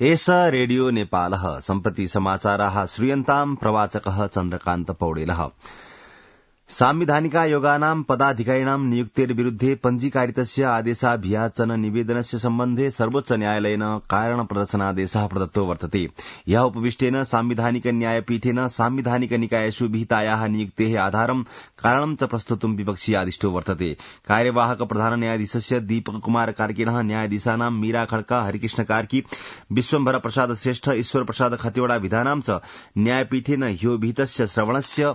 एष रेडियो नेपालः सम्प्रति समाचाराः श्रूयन्ताम् प्रवाचकः चन्द्रकान्त पौडेलः। सांविधानिकायोगानां पदाधिकारिणां नियुक्तेर्विरुद्धे पञ्जीकारितस्य आदेशाभियाचन निवेदनस्य सम्बन्धे सर्वोच्च न्यायालयेन कारण प्रदर्शनादेशः प्रदत्तो वर्तते। यः उपविष्टेन सांविधानिक न्यायपीठेन सांविधानिक निकायेषु विहितायाः नियुक्तेः आधारं कारणं च प्रस्तुतुं विपक्षी आदिष्टो वर्तते। कार्यवाहक प्रधान न्यायाधीशस्य दीपक कुमार कार्किणः न्यायाधीशानां मीरा खड्का, हरिकृष्ण कार्की, विश्वम्भर प्रसाद श्रेष्ठ, ईश्वर प्रसाद खतिवड़ा विधानां च न्यायपीठेन ह्यो विहितस्य श्रवणस्य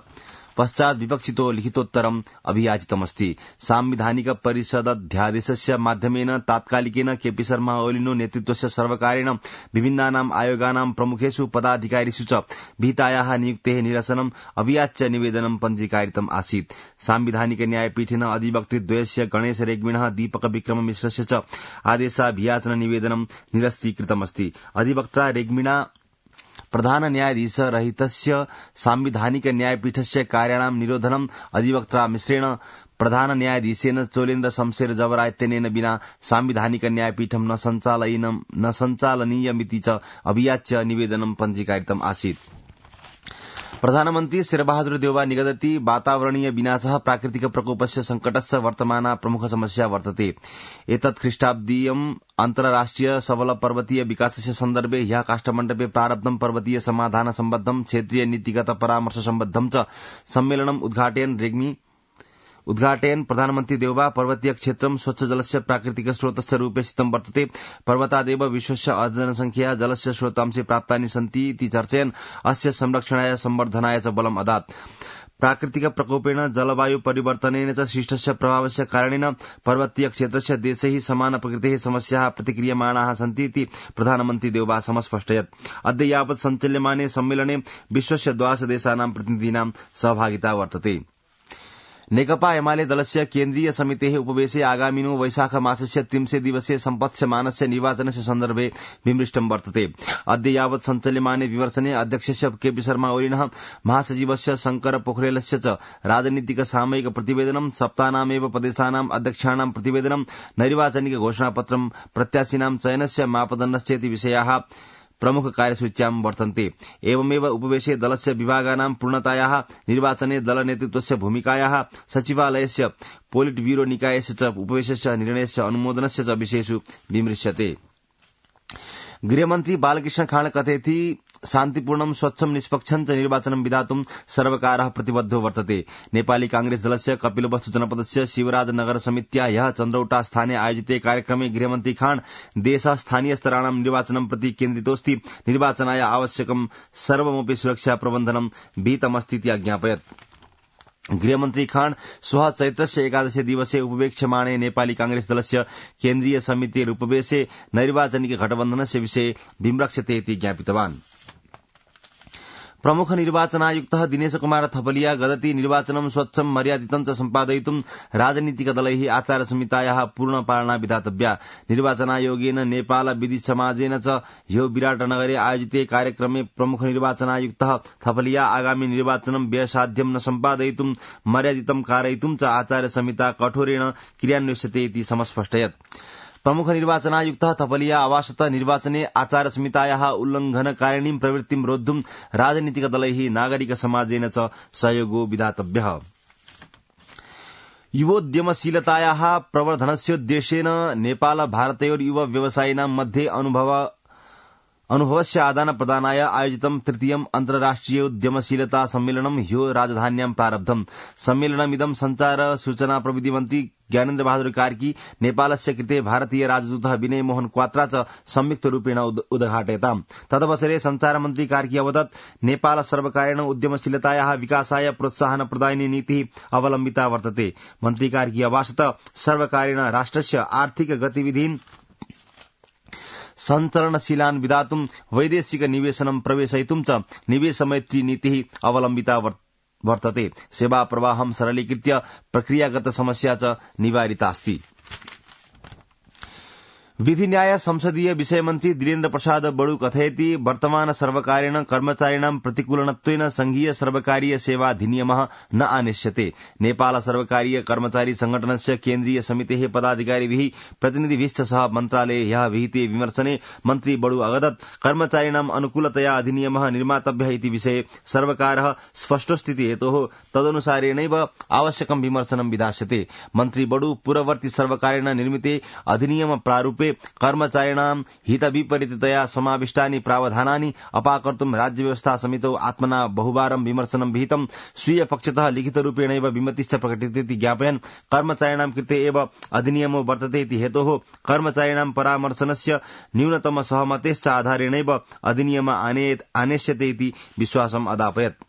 पश्चात् विपक्षितो लिखितोत्तरम् अभियाचितमस्ति। सांविधानिक परिषदध्यादेशस्य माध्यमेन तात्कालिकेन केपी शर्मा ओलीनो नेतृत्वस्य सर्वकारेण विभिन्नानाम् आयोगानां प्रमुखेषु पदाधिकारिषु च विहितायाः नियुक्तेः निरसनम् अभियाच्य निवेदनं पञ्जीकारितम् आसीत्। सांविधानिक न्यायपीठेन अधिवक्तृद्वयस्य गणेश रेग्मिणः, दीपक विक्रम मिश्रस्य च आदेशाभियाचन निवेदनं निरस्तीकृतमस्ति। अधिवक्ता रेग्मिणा प्रधान न्यायाधीश रहितस्य सांविधानिक न्यायपीठस्य कार्याणां निरोधनम् अधिवक्ता मिश्रेण प्रधान न्यायाधीशेन चोलेन्द्र शमशेर जबरा इत्यनेन विना सांविधानिक न्यायपीठं न सञ्चालनीयमिति च अभियाच्य निवेदनं पञ्जीकारितम् आसीत्। प्रधानमन्त्री शेरबहादुर देउवा निगदति वातावरणीय विनाशः प्राकृतिक प्रकोपस्य संकटस्य वर्तमाना प्रमुख समस्या वर्तते। एतत् ख्रीष्टाब्दीयम् अन्तर्राष्ट्रिय सबल पर्वतीय विकासस्य सन्दर्भे ह्यः काष्ठमण्डपे प्रारब्धं पर्वतीय समाधान सम्बद्धं क्षेत्रीय नीतिगत परामर्श सम्बद्धं च सम्मेलनम् उद्घाटयन् प्रधानमन्त्री देउवा पर्वतीय क्षेत्रं स्वच्छ जलस्य प्राकृतिक स्रोतस्य रूपे स्थितं वर्तते। पर्वतादेव विश्वस्य जनसंख्या जलस्य स्रोतांशे प्राप्तानि सन्ति इति चर्चयन् अस्य संरक्षणाय संवर्धनाय च बलम् अदात्। प्राकृतिक प्रकोपेण जलवायु परिवर्तनेन च सृष्टस्य प्रभावस्य कारणेन पर्वतीय क्षेत्रस्य देशैः समान प्रकृतेः समस्याः प्रतिक्रियमाणाः सन्ति इति प्रधानमन्त्री देउवा समस्पष्टयत्। अद्य यावत् सञ्चाल्यमाने सम्मेलने विश्वस्य 12 देशानां प्रतिनिधीनां सहभागिता वर्तते। नेकपा एमाले दलस्य केन्द्रीय समितेः उपवेशे आगामिनो वैशाख मासस्य 30 दिवसे सम्पत्स्यमानस्य निर्वाचनस्य सन्दर्भे विमृष्टं वर्तते। अद्य यावत् सञ्चाल्यमाने विमर्शने अध्यक्षस्य केपी शर्मा ओलीनः, महासचिवस्य शंकर पोखरेलस्य च राजनीतिक सामयिक प्रतिवेदनं, सप्ताहनामेव प्रदेशानाम् अध्यक्षाणां प्रतिवेदनं, नैर्वाचनिक घोषणापत्रं, प्रत्याशिनां चयनस्य मापदण्डश्चेति विषयाः प्रमुख कार्यसूच्यां वर्तन्ते। एवमेव उपवेशे दलस्य विभागानां पूर्णतायाः, निर्वाचने दल नेतृत्वस्य भूमिकायाः, सचिवालयस्य पोलिट ब्यूरो निकायस्य च उपवेशस्य निर्णयस्य अनुमोदनस्य च विषयेषु विमृश्यते। गृहमन्त्री बालकृष्ण खाँड कथयति शान्तिपूर्णं स्वच्छं निष्पक्षं च निर्वाचनं विधातुं सर्वकारः प्रतिबद्धो वर्तते। नेपाली कांग्रेस दलस्य कपिलवस्तु जनपदस्य शिवराजनगर समित्या ह्यः चन्द्रौटा स्थाने आयोजिते कार्यक्रमे गृहमन्त्री खाँड देश स्थानीय स्तराणां निर्वाचनं प्रति केन्द्रितोऽस्ति। निर्वाचनाय आवश्यकं सर्वमपि सुरक्षा प्रबन्धनं विहितमस्तीति अज्ञापयत्। गृहमन्त्री खाँड श्वः चैत्रस्य 11 दिवसे उपवेक्ष्यमाणे नेपाली कांग्रेस दलस्य केन्द्रीय समितेरुपवेशे नैर्वाचनिक गठबन्धनस्य विषये विमृक्षते इति ज्ञापितवान्। प्रमुख निर्वाचनायुक्तः दिनेश कुमार थपलिया गदति निर्वाचनं स्वच्छं मर्यादितं च सम्पादयितुं राजनीतिक दलैः आचार संहितायाः पूर्ण पालना विधातव्या। निर्वाचनायोगेन नेपाल विधि समाजेन च ह्यो विराटनगरे आयोजिते कार्यक्रमे प्रमुख निर्वाचनायुक्तः थपलिया आगामी निर्वाचनं व्ययसाध्यं न सम्पादयितुं मर्यादितं कारयितुं च आचार संहिता कठोरेण क्रियान्विष्यते इति समस्पष्टयत्। प्रमुख निर्वाचनायुक्तः थपलिया अवासतः निर्वाचने आचार संहितायाः उल्लङ्घनकारिणीं प्रवृत्तिं रोद्धुं राजनीतिक दलैः नागरिक समाजेन च सहयोगो विधातव्यः। युवोद्यमशीलतायाः प्रवर्धनस्योद्देश्येन नेपाल भारतयोर् युव व्यवसायिनां मध्ये अनुभवस्य आदान प्रदानाय आयोजितं तृतीयम् अन्तर्राष्ट्रिय उद्यमशीलता सम्मेलनं ह्यो राजधान्यां प्रारब्धम्। सम्मेलनमिदं संचार सूचना प्रविधि मन्त्री ज्ञानेन्द्र बहादुर कार्की, नेपालस्य कृते भारतीय राजदूतः विनय मोहन क्वात्रा च संयुक्तरूपेण उद्घाटयताम्। तदवसरे संचार मन्त्री कार्की अवदत्, नेपाल सर्वकारेण उद्यमशीलतायाः विकासाय प्रोत्साहन प्रदायिनी नीतिः अवलम्बिता वर्तते। मन्त्री कार्की अवासत सर्वकारेण राष्ट्रस्य आर्थिक गतिविधीन् सञ्चलनशीलान् विधातुं वैदेशिक निवेशनं प्रवेशयितुं च निवेशमैत्री नीतिः अवलम्बिता वर्तते। सेवा प्रवाहं सरलीकृत्य प्रक्रियागत समस्या च निवारितास्ति। विधि न्याय संसदीय विषय मन्त्री दिलेन्द्र प्रसाद बडु कथयति वर्तमान सर्वकारेण कर्मचारिणां प्रतिकूलनत्वेन संघीय सर्वकारीय सेवा अधिनियमः न आनेष्यते। नेपाल सर्वकारीय कर्मचारी संगठनस्य केन्द्रीय समितेः पदाधिकारिभिः प्रतिनिधिभिश्च सह मन्त्रालये ह्यः विहिते विमर्शने मन्त्री बडु अवदत् कर्मचारिणां अनुकूलतया अधिनियमः निर्मातव्यः इति विषये सर्वकारः स्पष्टोस्थिति हेतोः तदनुसारेणैव आवश्यकं विमर्शनं विधास्यते। मन्त्री बडु पूर्ववर्ती सर्वकारेण निर्मिते अधिनियम प्रारूपे कर्मचारिणां हितविपरीततया समाविष्टानि प्रावधानानि अपाकर्तुं राज्य व्यवस्था समितौ आत्मना बहुवारं विमर्शनं विहितं। स्वीय पक्षतः लिखितरूपेणैव विमतिश्च प्रकटितेति ज्ञापयन् कर्मचारिणां कृते एव अधिनियमो वर्तते इति हेतोः कर्मचारिणां परामर्शनस्य न्यूनतम सहमतेश्च आधारेणैव अधिनियम आनेष्यते इति विश्वासम् अदापयत्।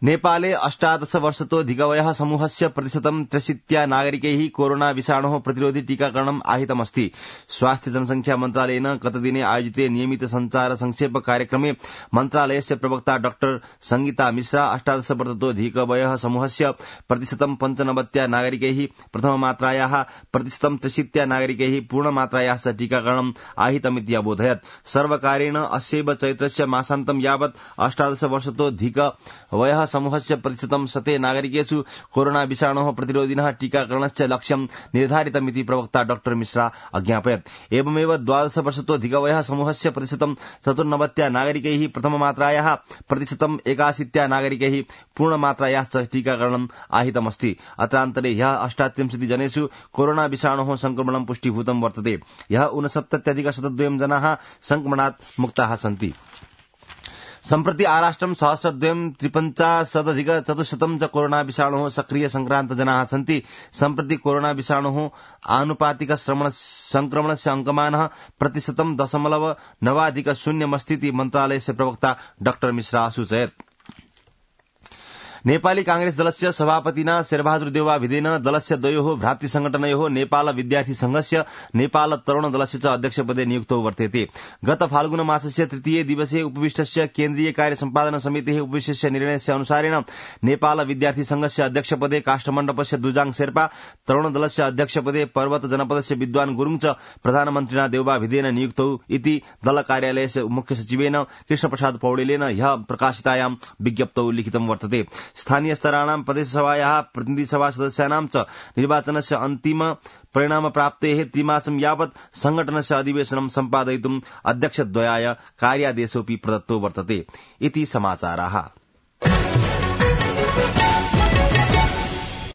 नेपाले 18 वर्षतोऽधिकवयः समूहस्य प्रतिशतं 63 नागरिकैः कोरोना विषाणोः प्रतिरोधि टीकाकरणम् आहितमस्ति। स्वास्थ्य जनसंख्या मन्त्रालयेन गतदिने आयोजिते नियमित संचार संक्षेप कार्यक्रमे मन्त्रालयस्य प्रवक्ता डाक्टर संगीता मिश्रा 18 वर्षतोऽधिकवयः समूहस्य प्रतिशतं 95 नागरिकैः प्रथममात्रायाः प्रतिशतं 63 नागरिकैः पूर्णमात्रायाः टीकाकरणम् आहितमिति अबोधयत्। सर्वकारेण अस्यैव चैत्रस्य मासान्तं यावत् 18 वर्षतोऽधिकवयः समूहस्य प्रतिशतं 100 नागरिकेषु कोरोना विषाणोः प्रतिरोधिनः टीकाकरणस्य लक्ष्यं निर्धारितमिति प्रवक्ता डाक्टर मिश्रा अज्ञापयत्। एवमेव 12 वर्षतोऽधिकवयः समूहस्य प्रतिशतं 94 नागरिकैः प्रथममात्रायाः प्रतिशतं 81 नागरिकैः पूर्णमात्रायाः टीकाकरणम् आहितमस्ति। अत्रान्तरे ह्यः 38 जनेषु कोरोना विषाणोः संक्रमणं पुष्टीभूतं वर्तते। ह्यः 69,102 जनाः संक्रमणात् मुक्ताः सन्ति। सम्प्रति आराष्ट्रं 1,253,400 च कोरोना विषाणोः सक्रिय संक्रान्त जनाः सन्ति। सम्प्रति कोरोना विषाणोः आनुपातिक संक्रमणस्य अंकमानः प्रतिशतं 0.9% मन्त्रालयस्य प्रवक्ता डाक्टर मिश्रा असूचयत्। नेपाली कांग्रेस दलस्य सभापतिना शेरबहादुर देउवा भिदेन दलस्य द्वयोः भ्रातृसंगठनयोः नेपाल विद्यार्थी संघस्य नेपाल तरुण दलस्य च अध्यक्षपदे नियुक्तौ वर्तेते। गत फाल्गुन मासस्य तृतीय दिवसे उपविष्टस्य केन्द्रीय कार्य सम्पादन समितेः उपविष्टस्य निर्णयस्य अनुसारेण नेपाल विद्यार्थी संघस्य अध्यक्षपदे काष्ठमण्डपस्य दुजाङ शेर्पा, तरुण दलस्य अध्यक्षपदे पर्वत जनपदस्य विद्वान गुरुङ च प्रधानमन्त्रिणा देउवा भिदेन नियुक्तौ इति दल कार्यालयस्य मुख्य सचिवेन कृष्णप्रसाद पौडेलेन ह्यः प्रकाशितायां विज्ञप्तौ लिखितं वर्तते। स्थानीय स्तराणां प्रदेशसभायाः प्रतिनिधिसभा सदस्यानां च निर्वाचनस्य अन्तिम परिणाम प्राप्तेः त्रिमासं यावत् संघटनस्य अधिवेशनं सम्पादयितुम् अध्यक्षद्वयाय कार्यादेशोऽपि प्रदत्तो वर्तते इति समाचाराः।